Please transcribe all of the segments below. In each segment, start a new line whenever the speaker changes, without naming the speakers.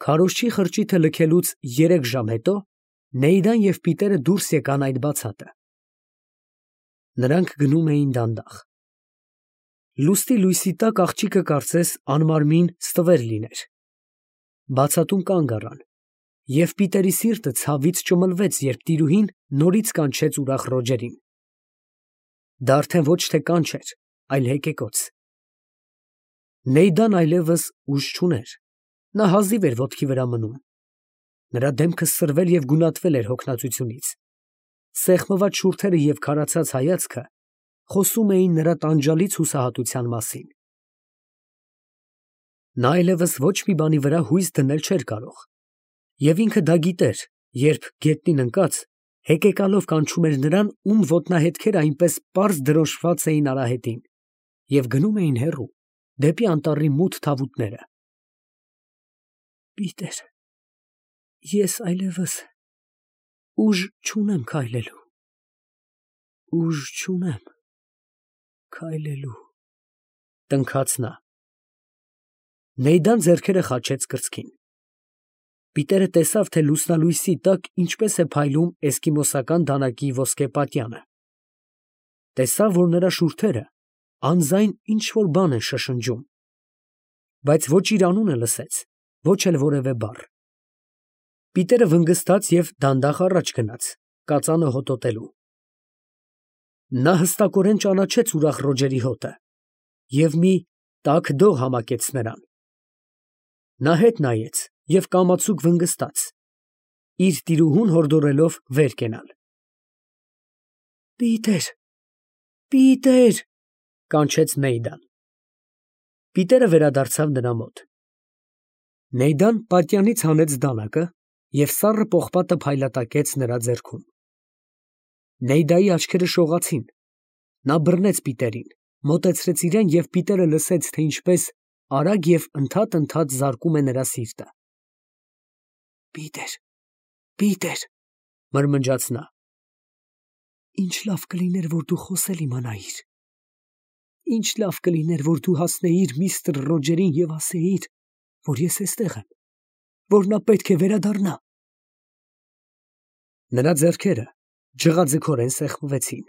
Քարոզչի խրճիթը լքելուց 3 ժամ հետո Նեյդան և Պիտերը դուրս եկան այդ բացատը. նրանք գնում էին դանդաղ։ Լուստի լույսի տակ աղջիկը կարծես անմարմին ստվեր լիներ։ Բացատում կանգ առան, և Պիտերի սիրտը ցավից ճմլվեց, երբ տիրուհին նորից կանչեց ուրախ Ռոջերին։ Դա արդեն ոչ թե կանչ էր, այլ հեկեկոց։ Նեյդան այլևս ուժ չուներ, նա հազիվ էր ոտքի վրա մնում։ Նրա դեմքը սրվել և գունատվել էր հոգնածությունից։ Սեղմված շուրթերը և քարացած հայացքը խոսում էին նրա տանջալից հուսահատության մասին։ Նա այլևս ոչ մի բանի վրա հույս դնել չէր կարող, և ինքը դա գիտեր, երբ գետնին ընկած, հեկեկալով կանչում էր նրան, ում ոտնահետքերը այնպես պարզ դրոշմված էին արահետին, և գնում էին հեռու, դեպի անտառի մութ թավուտները։ Պիտեր, ես այլևս ուժ չունեմ քայլելու, ուժ չունեմ քայլելու, տնքաց նա։ Նեյդան ձեռքերը խաչեց կրծքին։ Պիտերը տեսավ, թե լուսնալույսի տակ ինչպես է փայլում էսկիմոսական դանակի ոսկե պատյանը։ Տեսավ, որ նրա շուրթերը անձայն ինչ֊որ բան են շշնջում, բայց ոչ իր անունը լսեց, ոչ էլ որևէ բառ։ Պիտերը վնգստաց և դանդաղ առաջ գնաց, կածանը հոտոտելու։ Նա հստակորեն ճանաչեց ուրախ Ռոջերի հոտը և մի տաք դող համակեց նրան։ Նա հետ նայեց և կամացուկ վնգստաց, իր տիրուհուն հորդորելով վեր կենալ։ Պիտեր, Պիտեր, կանչեց Նեյդան։ Պիտերը վերադարձավ նրա մոտ։ Նեյդան պատյանից հանեց դանակը և սառը պողպատը փայլատակեց նրա ձեռքում։ Նեյդայի աչքերը շողացին, նա բռնեց Պիտերին, մոտեցրեց իրան, և Պիտերը լսեց, թե ինչպես արագ և ընդհատ զարկում է նրա սիրտը։ Պիտեր, Պիտեր, մրմնջաց նա, ինչ լավ կլիներ, որ դու խոսել իմանայիր, ինչ լավ կլիներ, որ դու հասնեիր միստր Ռոջերին և ասեիր, որ ես էստեղ եմ, որ նա պետք է վերադառնա։ Նրա ձեռքերը ջղաձգորեն սեղմվեցին,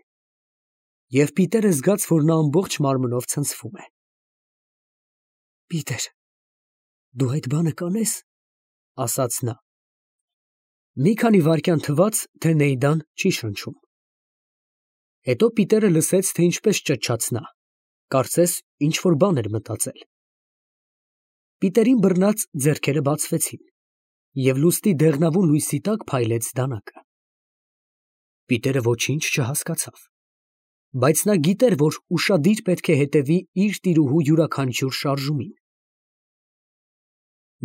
և Պիտերը զգաց, որ նա ամբողջ մարմնով ցնցվում է։ Պիտեր, դու այդ բանը կանես, ասաց նա։ Մի քանի վայրկյան թվաց, թե Նեյդան չի շնչում։ Հետո Պիտերը լսեց, թե ինչպես ճչաց նա, կարծես ինչ֊որ բան էր մտածել։ Պիտերին բռնած ձեռքերը բացվեցին, և լուստի դեղնավուն լույսի տակ փայլեց դանակը։ Պիտերը ոչինչ չհասկացավ, բայց նա գիտեր, որ ուշադիր պետք է հետևի իր տիրուհու յուրաքանչյուր շարժումին։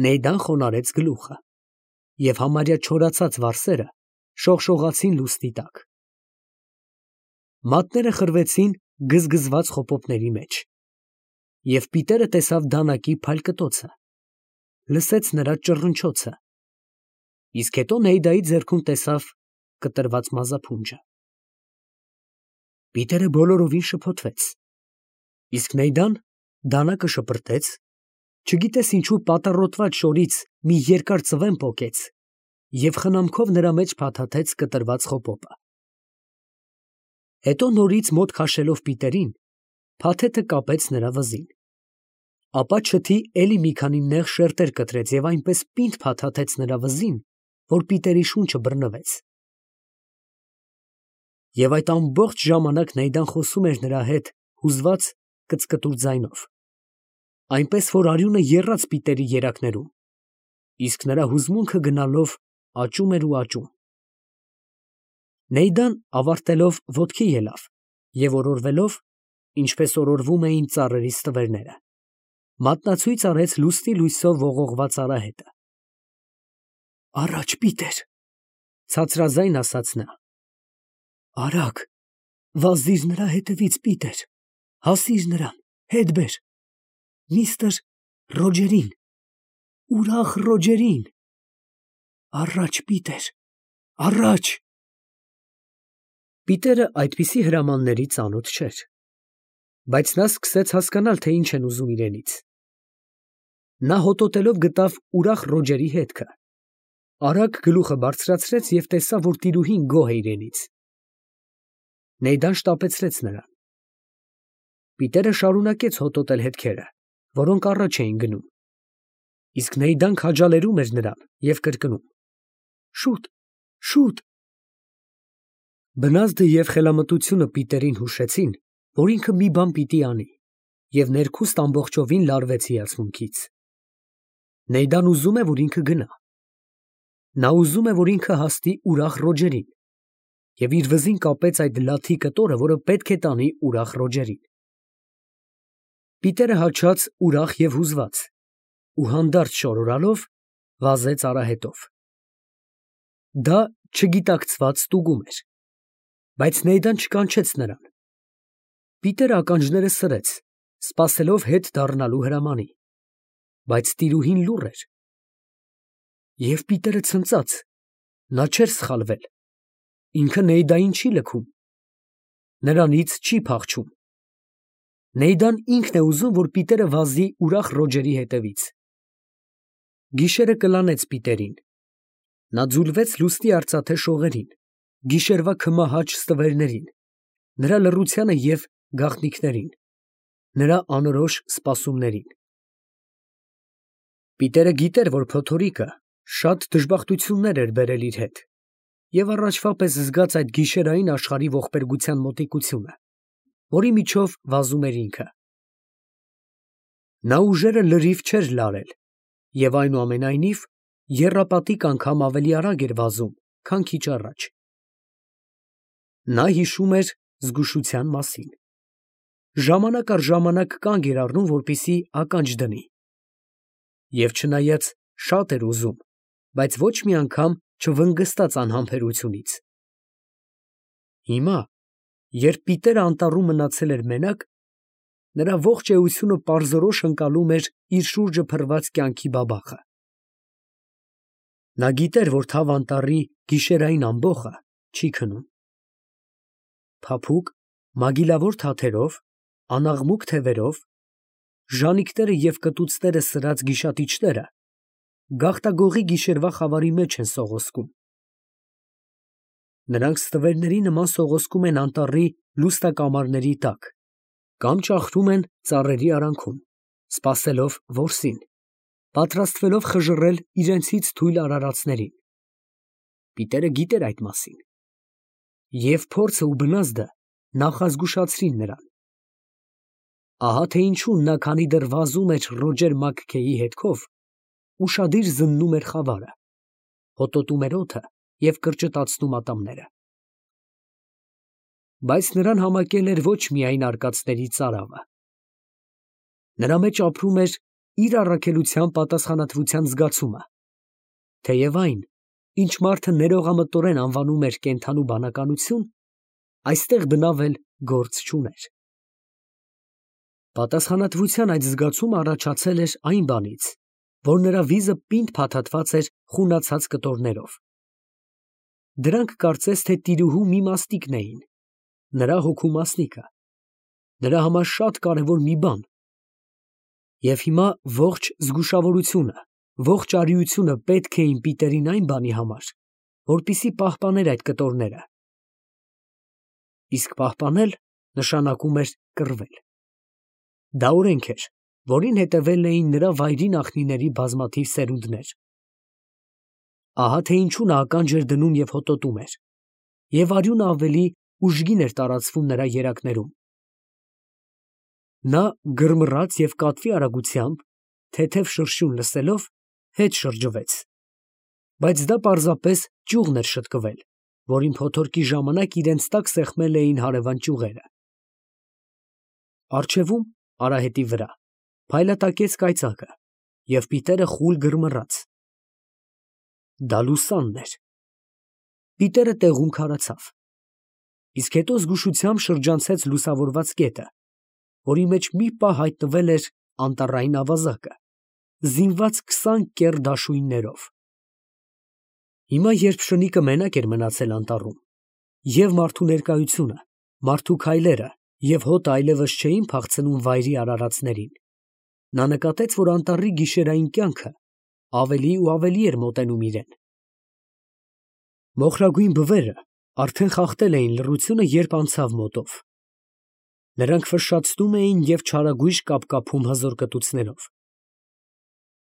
Նեյդան խոնարհեց գլուխը, և համարյա չորացած վարսերը շողշողացին լուսնի տակ։ Մատները խրվեցին գզգզված խոպոպների մեջ, և Պիտերը տեսավ դանակի փայլկտոցը, լսեց նրա ճռնչոցը, իսկ հետո Նեյդայի ձեռքում տեսավ կտրված մազափունջը։ Պիտերը բոլորովին շփոթվեց, իսկ Նեյդան դանակը շպրտեց, չգիտես ինչու պատառոտված շորից մի երկար ծվեն պոկեց և խնամքով նրա մեջ փաթաթեց կտրված խոպոպը։ Հետո նորից մոտ քաշելով Պիտերին, փաթեթը կապեց նրա վզին, ապա չթի էլի մի քանի նեղ շերտեր կտրեց և այնպես պինդ փաթաթեց նրա վզին, որ Պիտերի շունչը բռնվեց։ Եվ այդ ամբողջ ժամանակ Նեյդան խոսում էր նրա հետ հուզված կծկտուր ձայնով, այնպես որ արյունը եռաց Պիտերի երակներում, իսկ նրա հուզմունքը գնալով աճում էր ու աճում։ Նեյդան ավարտելով ոտքի ելավ և օրորվելով, ինչպես օրորվում էին ծառերի ստվերները, մատնացույց արեց լուսնի լույսով ողողված արահետը։ Առաջ, Պիտեր, ցածրաձայն ասաց նա, արագ, վազիր նրա հետևից, Պիտեր, հասիր նրան, հետ բեր, միստր Ռոջերին, ուրախ Ռոջերին, առաջ, Պիտեր, առաջ։ Պիտերը այդպիսի հրամանների ծանոթ չէր, բայց նա սկսեց հասկանալ, թե ինչ են ուզում իրենից։ Նա հոտոտելով գտավ ուրախ Ռոջերի հետքը։ Արագ գլուխը բարձրացրեց և տեսավ, որ տիրուհին գոհ է իրենից։ Նեյդան շտապեցրեց նրան։ Պիտերը շարունակեց հոտոտել հետքերը, որոնք առաջ էին գնում, իսկ Նեյդան քաջալերում էր նրան և կրկնում. «Շուտ, շուտ»։ Բնազդը և խելամտությունը Պիտերին հուշեցին, որ ինքը մի բան պիտի անի, և ներքուստ ամբողջովին լարվեց հիացմունքից։ Նեյդան ուզում է, որ ինքը գնա։ Նա ուզում է, որ ինքը հասնի ուրախ Ռոջերին, և իր վզին կապեց այդ լաթի կտորը, որը պետք է տանի ուրախ Ռոջերին։ Պիտերը հաչած ուրախ և հուզված, ու հանդարտ շորորալով վազեց արահետով։ Դա չգիտակցված ստուգում էր, բայց Նեյդան չկանչեց նրան։ Պիտերը ականջները սրեց, սպասելով հետ դառնալու հրամանի, բայց տիրուհին լուռ էր։ Եվ Պիտերը ցնծաց, նա չէր սխալվել, ինքը Նեյդային չի լքում, նրանից չի փախչում։ Նեյդան ինքն է ուզում, որ Պիտերը վազի ուրախ Ռոջերի հետևից։ Գիշերը կլանեց Պիտերին։ Նա ձուլվեց լուսնի արծաթե շողերին, գիշերվա քմահաճ ստվերներին, նրա լռությանը և գաղտնիքներին, նրա անորոշ սպասումներին։ Պիտերը գիտեր, որ փոթորիկը շատ դժբախտություններ էր բերել իր հետ, և առաջվա պես զգաց այդ գիշերային աշխարհի ողբերգության մոտիկությունը, որի միջով վազում էր ինքը։ Նա ուժերը լրիվ չէր լարել և այնուամենայնիվ եռապատիկ անգամ ավելի արագ էր վազում, քան քիչ առաջ։ Նա հիշում էր զգուշության մասին։ Ժամանակ առ ժամանակ կանգ էր առնում, որպեսզի ականջ դնի։ Եվ չնայած շատ էր ուզում, բայց ոչ մի անգամ չվնգստաց անհամբերությունից։ Հիմա, երբ Պիտերը անտառում մնացել էր մենակ, նրա ողջ էությունը պարզորոշ ընկալում էր իր շուրջը փռված կյանքի բաբախը։ Նա գիտեր, որ թավ անտառի գիշերային ամբոխը չի քնում։ Փափուկ, մագիլավոր թաթերով, անաղմուկ թևերով, ժանիքները և կտուցները սրած գիշատիչները գաղտագողի գիշերվա խավարի մեջ են սողոսկում։ Նրանք ստվերների նման սողոսկում են անտառի լուսնակամարների տակ կամ ճախրում են ծառերի արանքում, սպասելով որսին, պատրաստվելով խժռել իրենցից թույլ արարածներին։ Պիտերը գիտեր այդ մասին։ Եվ փորձը ու բնազդը նախազգուշացրին նրան։ Ահա թե ինչու նա, քանի դեռ վազում էր Ռոջեր Մաքքեյի հետքով, ուշադիր զննում էր խավարը, հոտոտում էր օդը և կրճտացնում ատամները։ Բայց նրան համակել էր ոչ միայն արկածների ծարավը։ Նրա մեջ ապրում էր իր առաքելության պատասխանատվության զգացումը, թեև այն, ինչ մարդը ներողամտորեն անվանում էր կենդանու բանականություն, այստեղ բնավ էլ գործ չուներ։ Պատասխանատվության այդ զգացումը առաջացել էր այն բանից, որ նրա վիզը պինդ փաթաթված էր խունացած կտորներով։ Դրանք կարծես թե տիրուհու մի մասնիկն էին, նրա հոգու մասնիկը, նրա համար շատ կարևոր մի բան։ Եվ հիմա ողջ զգուշավորությունը, ողջ արիությունը պետք էին Պիտերին այն բանի համար, որպեսզի պահպաներ այդ կտորները։ Իսկ պահպանել նշանակում էր կռվել։ Դա օրենք էր, որին հետևել էին նրա վայրի նախնիների բազմաթիվ սերունդներ։ Ահա թե ինչու նա ականջ էր դնում և հոտոտում էր, և արյունը ավելի ուժգին էր տարածվում նրա երակներում։ Նա գրմռաց և կատվի արագությամբ, թեթև շրշյուն լսելով, հետ շրջվեց, բայց դա պարզապես ճյուղն էր շտկվել, որին փոթորկի ժամանակ իրենց տակ սեղմել էին հարևան ճյուղերը։ Առջևում, արահետի վրա, փայլատակեց կայծակը, և Պիտերը խուլ գրմռաց։ Դա լուսանն էր։ Պիտերը տեղում քարացավ, իսկ հետո զգուշությամբ շրջանցեց լուսավորված կետը, որի մեջ մի պահ հայտնվել էր անտառային ավազակը, զինված 20 կեռ դաշույններով։ Հիմա, երբ շնիկը մենակ էր մնացել անտառում, և մարդու ներկայությունը, մարդու քայլերը և հոտը այլևս չէին փախցնում վայրի արարածներին, նա նկատեց, որ անտառի գիշերային կյանքը ավելի ու ավելի էր մոտենում իրեն։ Մոխրագույն բվերը արդեն խախտել էին լռությունը, երբ անցավ մոտով։ Նրանք ֆշշացնում էին և չարագույժ կապկապում հզոր կտուցներով։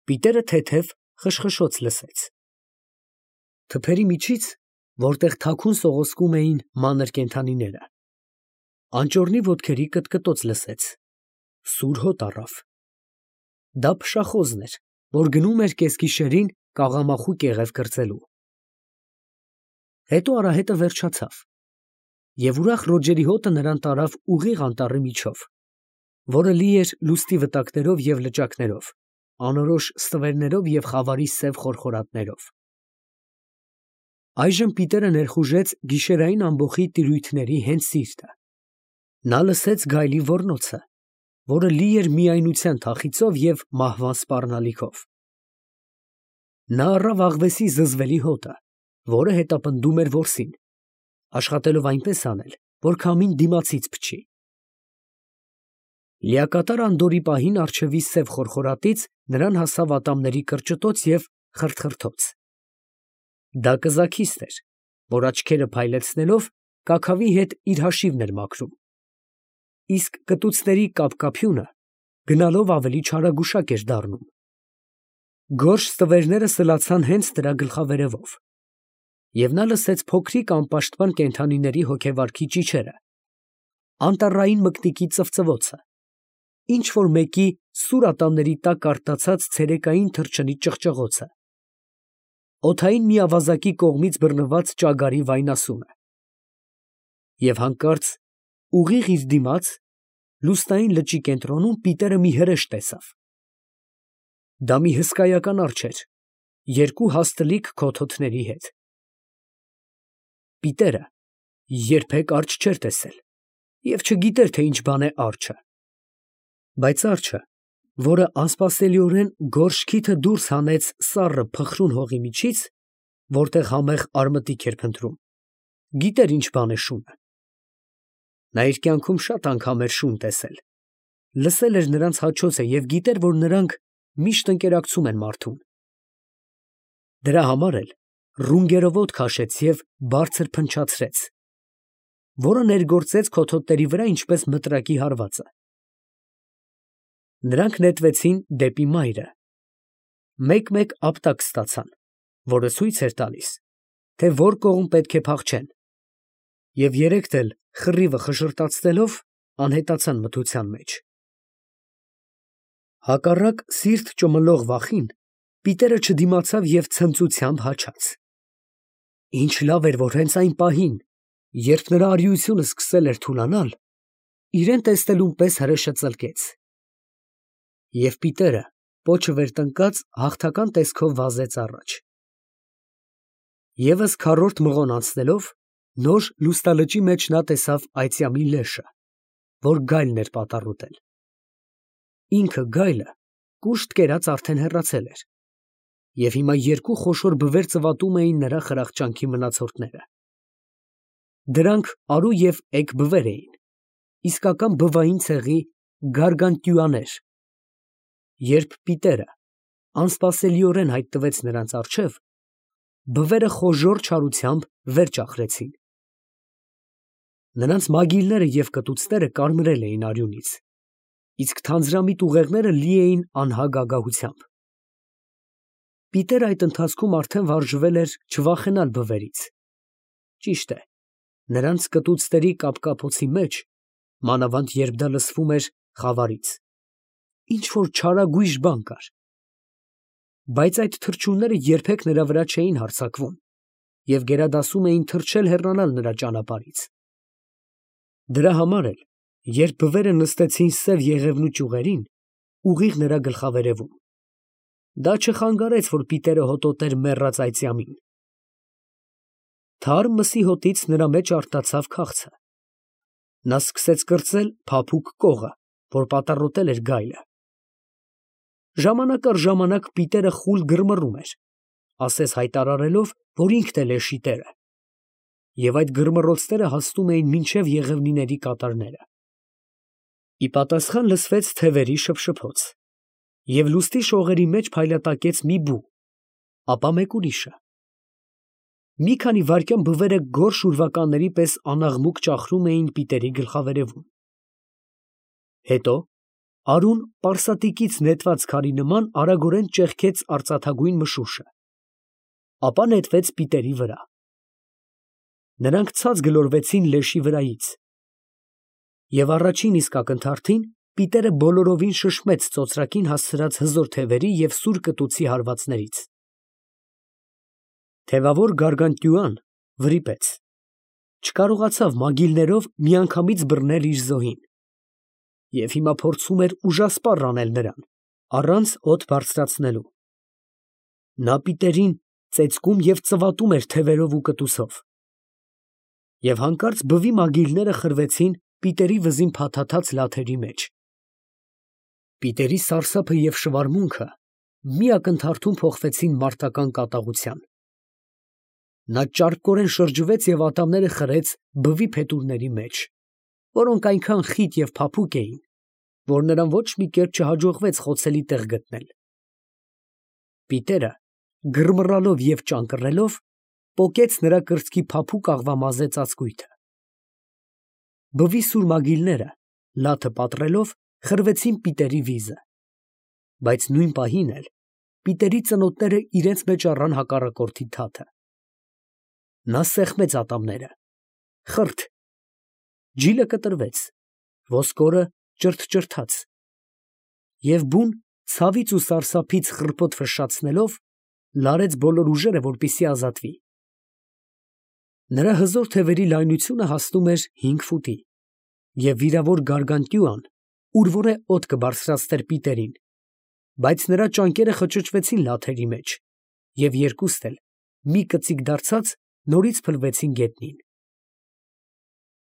Պիտերը թեթև խշխշոց լսեց։ Թփերի միջից, որտեղ թաքուն սողոսկում էին մանր կենդանիները, անճոռնի ոտքերի կտկտոց լսեց։ Սուր հոտ առավ։ Դա փշախոզն էր, որ գնում էր կեսգիշերին կաղամախու կեղև կրծելու։ Հետո արահետը վերջացավ, և ուրախ ռոճերի հոտը նրան տարավ ուղիղ անտառի միջով, որը լի էր լուստի վտակներով և լճակներով, անորոշ ստվերներով և խավարի սև խորխորատներով։ Այժմ Պիտերը ներխուժեց գիշերային ամբոխի տիրույթների հենց սիրտը։ Նա լսեց գայլի ոռնոցը, որը լի էր միայնության թախիծով և մահվան սպառնալիքով։ Նա առավ աղվեսի զզվելի հոտը, որը հետապնդում էր որսին, աշխատելով այնպես անել, որ քամին դիմացից փչի։ Լիակատար անդորրի պահին առջևի սև խորխորատից նրան հասավ ատամների կրճտոց և խրթխրթոց։ Դա կզաքիստ էր, որ աչքերը փայլեցնելով կաքավի հետ իր հաշիվն էր մաքրում, իսկ կտուցների կապկապյունը գնալով ավելի չարագուշակ էր դառնում։ Գորշ ստվերները սլացան հենց նրա գլխավերևով, և նա լսեց փոքրիկ անպաշտպան կենդանիների հոգեվարքի ճիչերը, անտառային մկնիկի ծվծվոցը, ինչ֊որ մեկի սուր ատամների տակ արթնացած ցերեկային թռչնի ճղճղոցը, օդային մի ավազակի կողմից բռնված ճագարի վայնասունը։ Եվ հանկարծ ուղիղ իր դիմաց, լուսնային լճի կենտրոնում Պիտերը մի հրեշ տեսավ։ Դա մի հսկայական արջեր էր, երկու հաստլիկ քոթոթների հետ։ Պիտերը երբեք արջ չէր տեսել և չգիտեր, թե ինչ բան է արջը։ Բայց արջը, որը անսպասելիորեն գորշ քիթը դուրս հանեց սառը փխրուն հողի միջից, որտեղ համեղ արմտիկ էր փնտրում, գիտեր ինչ բան է շունը։ Նա իր կյանքում շատ անգամ էր շուն տեսել, լսել էր նրանց հաչոցը և գիտեր, որ նրանք միշտ ընկերակցում են մարդուն։ Դրա համար էլ ռունգերովոտ քաշեց և բարձր փնչացրեց, որը ներգործեց քոթոտների վրա ինչպես մտրակի հարվածը։ Նրանք նետվեցին դեպի մայրը, մեկ֊մեկ ապտակ ստացան, որը ցույց էր տալիս, թե որ կողմ պետք է փախչեն, և երեքդ էլ խռիվը խշռտացնելով անհետացան մթության մեջ։ Հակառակ սիրտ ճմլող վախին Պիտերը չդիմացավ և ցնծությամբ հաչաց։ Ինչ լավ էր, որ հենց այն պահին, երբ նրա արիությունը սկսել էր թուլանալ, իրեն տեսնելուն պես հրեշը ծլկեց։ Եվ Պիտերը, պոչը վեր տնկած, հաղթական տեսքով վազեց առաջ։ Եվս քառորդ մղոն անցնելով, նոր լուսնալճի մեջ նա տեսավ այծյամի լեշը, որ գայլն էր պատառոտել։ Ինքը գայլը կուշտ կերած արդեն հեռացել էր, և հիմա երկու խոշոր բվեր ծվատում էին նրա խրախճանքի մնացորդները։ Դրանք արու և էգ բվեր էին, իսկական բվային ցեղի գարգանտյուաներ։ Երբ Պիտերը անսպասելիորեն հայտնվեց նրանց առջև, բվերը խոժոռ չարությամբ վեր ճախրեցին։ Նրանց մագիլները և կտուցները կարմրել էին արյունից, իսկ թանձրամիտ ուղեղները լի էին անհագ ագահությամբ։ Պիտերը այդ ընթացքում արդեն վարժվել էր չվախենալ բվերից։ Ճիշտ է, նրանց կտուցների կապկապոցի մեջ, մանավանդ երբ դա լսվում էր խավարից, ինչ֊որ չարագույժ բան կար։ Բայց այդ թռչունները երբեք նրա վրա չէին հարձակվում և գերադասում էին թռչել հեռանալ նրա ճանապարհից։ Դրա համար էլ, երբ բվերը նստեցին սև եղևնու ճյուղերին, ուղիղ նրա գլխավերևում, դա չխանգարեց, որ Պիտերը հոտոտեր մեռած այծյամին։ Թարմ մսի հոտից նրա մեջ արթնացավ քաղցը։ Նա սկսեց կրծել փափուկ կողը, որ պատառոտել էր գայլը։ Ժամանակ առ ժամանակ Պիտերը խուլ գրմռում էր, ասես հայտարարելով, որ ինքն է լեշի տերը, և այդ գրմռոցները հասնում էին մինչև եղևնիների կատարները։ Ի պատասխան լսվեց թևերի շփշփոց, և լուստի շողերի մեջ փայլատակեց մի բու, ապա մեկ ուրիշը։ Մի քանի վայրկյան բվերը գորշ ուրվականների պես անաղմուկ ճախրում էին Պիտերի գլխավերևում։ Հետո արուն պարսատիկից նետված քարի նման արագորեն ճեղքեց արծաթագույն մշուշը, ապա նետվեց Պիտերի վրա։ Նրանք ցած գլորվեցին լեշի վրայից, և առաջին իսկ ակնթարթին Պիտերը բոլորովին շշմեց ծոծրակին հասցրած հզոր թևերի և սուր կտուցի հարվածներից։ Թևավոր Գարգանտյուան վրիպեց, չկարողացավ մագիլներով միանգամից բռնել իր զոհին, և հիմա փորձում էր ուժասպառ անել նրան, առանց հոտ բարձրացնելու։ Նա Պիտերին ծեծկում և ծվատում էր թևերով ու կտուցով, և հանկարծ բվի մագիլները խրվեցին Պիտերի վզին փաթաթած լաթերի մեջ։ Պիտերի սարսափը և շվարմունքը մի ակնթարթում փոխվեցին մարտական կատաղության։ Նա ճարպկորեն շրջվեց և ատամները խրեց բվի փետուրների մեջ, որոնք այնքան խիտ և փափուկ էին, որ նրան ոչ մի կերպ չհաջողվեց խոցելի տեղ գտնել։ Պիտերը, գրմռալով և ճանկռելով, պոկեց նրա կրծքի փափուկ աղվամազե ծածկույթը։ Բվի սուր մագիլները, լաթը պատռելով, խրվեցին Պիտերի վիզը, բայց նույն պահին էլ Պիտերի ծնոտները իրենց մեջ առան հակառակորդի թաթը։ Նա սեղմեց ատամները, խրթ, ջիլը կտրվեց, ոսկորը ճրթճրթաց, և բուն ցավից ու սարսափից խռպոտ ֆշշացնելով, լարեց բոլոր ուժերը, որպեսզի ազատվի։ Նրա հզոր թևերի լայնությունը հասնում էր 5 ֆուտի, և վիրավոր Գարգանտյուան ուրվորե օդ կբարձրացներ Պիտերին, բայց նրա ճանկերը խճճվեցին լաթերի մեջ, և երկուստ էլ, մի կծիկ դարձած, նորից փլվեցին գետնին։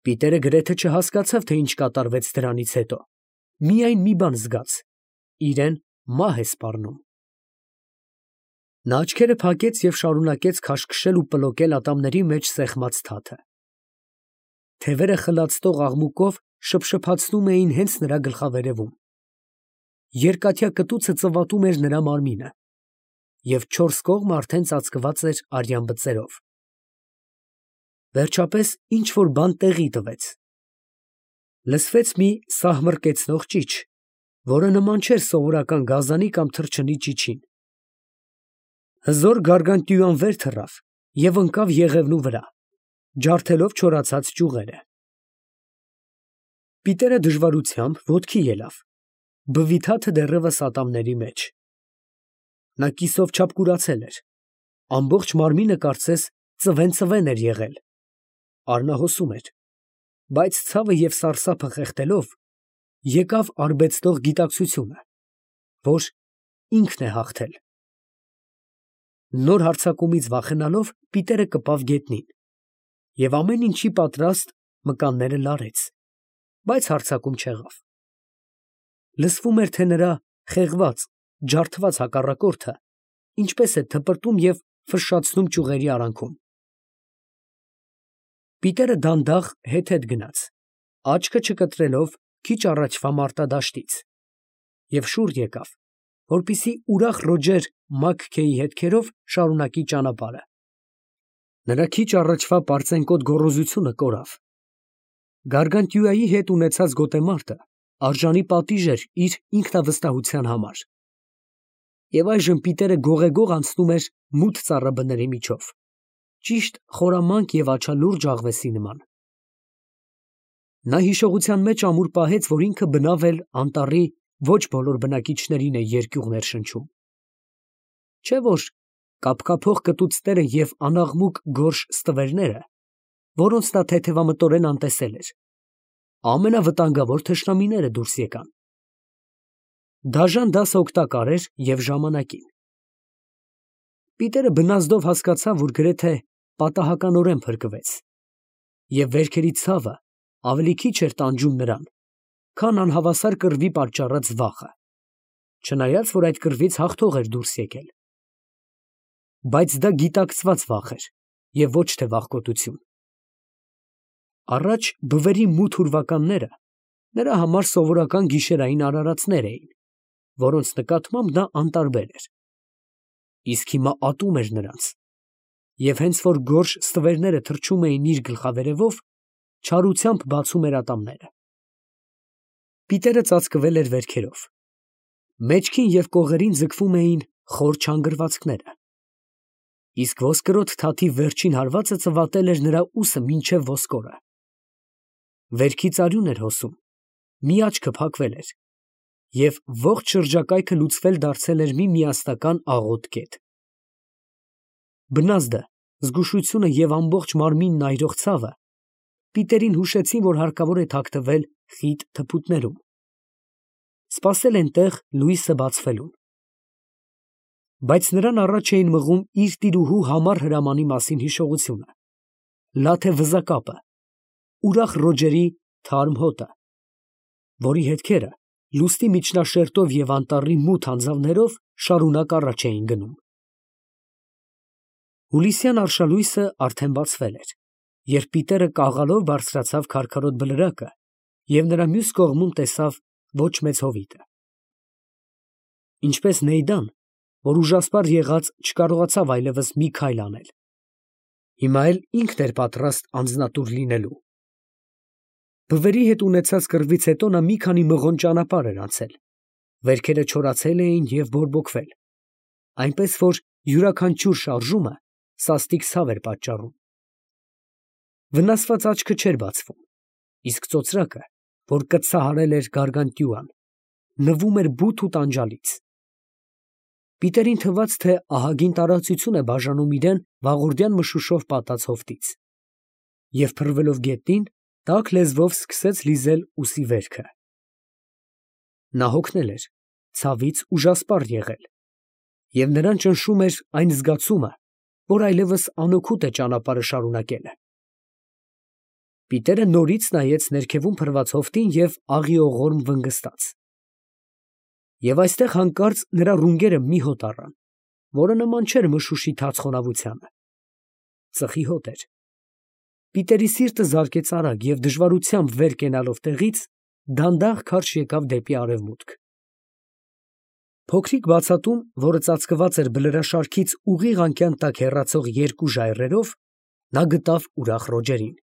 Պիտերը գրեթե չհասկացավ, թե ինչ կատարվեց դրանից հետո, միայն մի բան զգաց. իրեն մահ է սպառնում։ Նա աչքերը փակեց և շարունակեց քաշքշել ու պլոկել ատամների մեջ սեղմած թաթը։ Թևերը խլացնող աղմուկով շփշփացնում էին հենց նրա գլխավերևում։ Երկաթյա կտուցը ծվատում էր նրա մարմինը, և չորս կողմը արդեն ծածկված էր արյան բծերով։ Վերջապես ինչ֊որ բան տեղի տվեց։ Լսվեց մի սահմռկեցնող ճիչ, որը նման չէր սովորական գազանի կամ թռչնի ճիչին։ Հզոր Գարգանտյուան վեր թռավ և ընկավ եղևնու վրա, ջարդելով չորացած ճյուղերը։ Պիտերը դժվարությամբ ոտքի ելավ, բվի թաթը դեռևս ատամների մեջ։ Նա կիսով չափ կուրացել էր, ամբողջ մարմինը կարծես ծվեն էր եղել, արնահոսում էր, բայց ցավը և սարսափը խեղդելով, եկավ արբեցնող գիտակցությունը, որ ինքն է հաղթել։ Նոր հարձակումից վախենալով Պիտերը կպավ գետնին, և ամեն ինչի պատրաստ մկանները լարեց, բայց հարձակում չեղավ։ Լսվում էր, թե նրա խեղված, ջարդված հակառակորդը ինչպես է թպրտում և ֆշշացնում ճյուղերի արանքում։ Պիտերը դանդաղ հետ գնաց, աչքը չկտրելով քիչ առաջվա մարտադաշտից, և շուռ եկավ, որպեսզի ուրախ Ռոջեր Մաքքեյի հետքերով շարունակի ճանապարհը։ Նրա քիչ առաջվա պարծենկոտ գոռոզությունը կորավ։ Գարգանտյուայի հետ ունեցած գոտեմարտը արժանի պատիժ էր իր ինքնավստահության համար։ Եվ այժմ Պիտերը գողեգող անցնում էր մութ ծառաբների միջով, ճիշտ խորամանկ և աչալուրջ աղվեսի նման։ Նա հիշողության մեջ ամուր պահեց, որ ինքը բնավ էլ անտառի ոչ բոլոր բնակիչներին է երկյուղ ներշնչում, չէ՞ որ կափկափող կտուցները և անաղմուկ գորշ ստվերները, որոնց նա թեթևամտորեն անտեսել էր, ամենավտանգավոր թշնամիները դուրս եկան։ Դաժան դասը օգտակար էր և ժամանակին։ Պիտերը բնազդով հասկացավ, որ գրեթե պատահականորեն փրկվեց, և վերքերի ցավը ավելի քիչ էր տանջում նրան, քան անհավասար կռվի պատճառած վախը, չնայած որ այդ կռվից հաղթող էր դուրս եկել։ Բայց դա գիտակցված վախ էր և ոչ թե վախկոտություն։ Առաջ բվերի մութ ուրվականները նրա համար սովորական գիշերային արարածներ էին, որոնց նկատմամբ նա անտարբեր էր։ Իսկ հիմա ատում էր նրանց, և հենց որ գորշ ստվերները թռչում էին իր գլխավերևով, չարությամբ բացում էր ատամները։ Պիտերը ծածկվել էր վերքերով։ Մեջքին և կողերին ձգվում էին խոր չանգրվածքները։ Իսկ ոսկրոտ թաթի վերջին հարվածը ծվատել էր նրա ուսը մինչև ոսկորը։ Վերքից արյուն էր հոսում, մի աչքը փակվել էր, և ողջ շրջակայքը լուծվել դարձել էր մի միասնական աղոտ կետ։ Բնազդը, զգուշությունը և ամբողջ մարմինն այրող ցավը Պիտերին հուշեցին, որ հարկավոր է թաքնվել խիտ թփուտներում, սպասել այնտեղ լույսը բացվելուն։ Բայց նրան առաջ էին մղում իր տիրուհու համառ հրամանի մասին հիշողությունը, լաթե վզակապը, ուրախ Ռոջերի թարմ հոտը, որի հետքերը լուսնի միջնաշերտով և անտառի մութ անձավներով շարունակ առաջ էին գնում։ Հուլիսյան արշալույսը արդեն բացվել էր, երբ Պիտերը կաղալով բարձրացավ քարքարոտ բլրակը և նրա մյուս կողմում տեսավ ոչ մեծ հովիտը։ Ինչպես Նեյդան, որ ուժասպառ եղած չկարողացավ այլևս մի քայլ անել, հիմա էլ ինքն էր պատրաստ անձնատուր լինելու։ Բվերի հետ ունեցած կռվից հետո նա մի քանի մղոն ճանապարհ էր անցել, վերքերը չորացել էին և բորբոքվել, այնպես որ յուրաքանչյուր շարժումը սաստիկ ցավ էր պատճառում։ Վնասված աչքը չէր բացվում, իսկ ծոծրակը, որ կծահարել էր գարգանտյուան, նվում էր բութ ու տանջալից։ Պիտերին թվաց, թե ահագին տարածություն է բաժանում իրեն վաղորդյան մշուշով պատած հովտից, և փռվելով գետնին, տաք լեզվով սկսեց լիզել ուսի վերքը։ Նա հոգնել էր, ցավից ուժասպառ եղել, և նրան ճնշում էր այն զգացումը, որ այլևս անօգուտ է ճանապարհը շարունակելը։ Պիտերը նորից նայեց ներքևում փռված հովտին և աղիողորմ վնգստաց։ Եվ այստեղ հանկարծ նրա ռունգերը մի հոտ առան, որը նման չէր մշուշի թաց խոնավությանը։ Ծխի հոտ էր։ Պիտերի սիրտը զարկեց արագ և դժվարությամբ վեր կենալով տեղից, դանդաղ քարշ եկավ դեպի արևմուտք։ Փոքրիկ բացատում, որը ծածկված էր բլրաշարքից ուղիղ անկյան տակ հեռացող երկու ժայռերով, նա գտավ ուրախ Ռոջերին։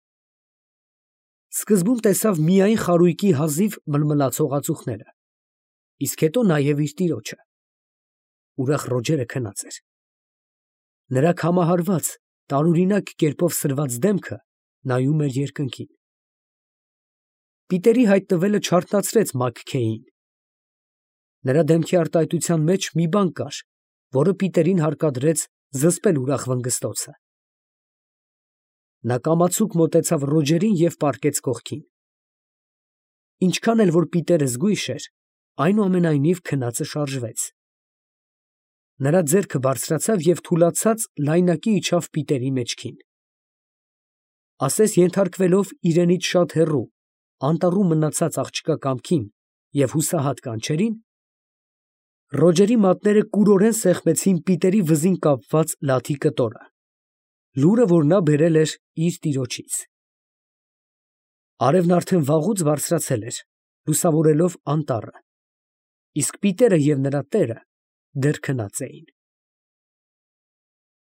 Սկզբում տեսավ միայն խարույկի հազիվ մլմլացող ածուխները, իսկ հետո նաև իր տիրոջը։ Ուրախ Ռոջերը քնած էր։ Նրա քամահարված, տարօրինակ կերպով սրված դեմքը նայում էր երկնքին։ Պիտերի հայտնվելը չարթնացրեց Մաքքեյին։ Նրա դեմքի արտահայտության մեջ մի բան կար, որը Պիտերին հարկադրեց զսպել ուրախ վնգստոցը։ Նա կամացուկ մոտեցավ Ռոջերին և պառկեց կողքին։ Ինչքան էլ որ Պիտերը զգույշ էր, այնուամենայնիվ քնածը շարժվեց։ Նրա ձեռքը բարձրացավ և թուլացած լայնակի իջավ Պիտերի մեջքին։ Ասես ենթարկվելով իրենից շատ հեռու, անտառում մնացած աղջկա կամքին և հուսահատ կանչերին, Ռոջերի մատները կուրորեն սեղմեցին Պիտերի վզին կապված լաթի կտորը, լուրը, որ նա բերել էր իր տիրոջից։ Արևն արդեն վաղուց բարձրացել էր, լուսավորելով անտառը, իսկ Պիտերը և նրա տերը դեռ քնած էին։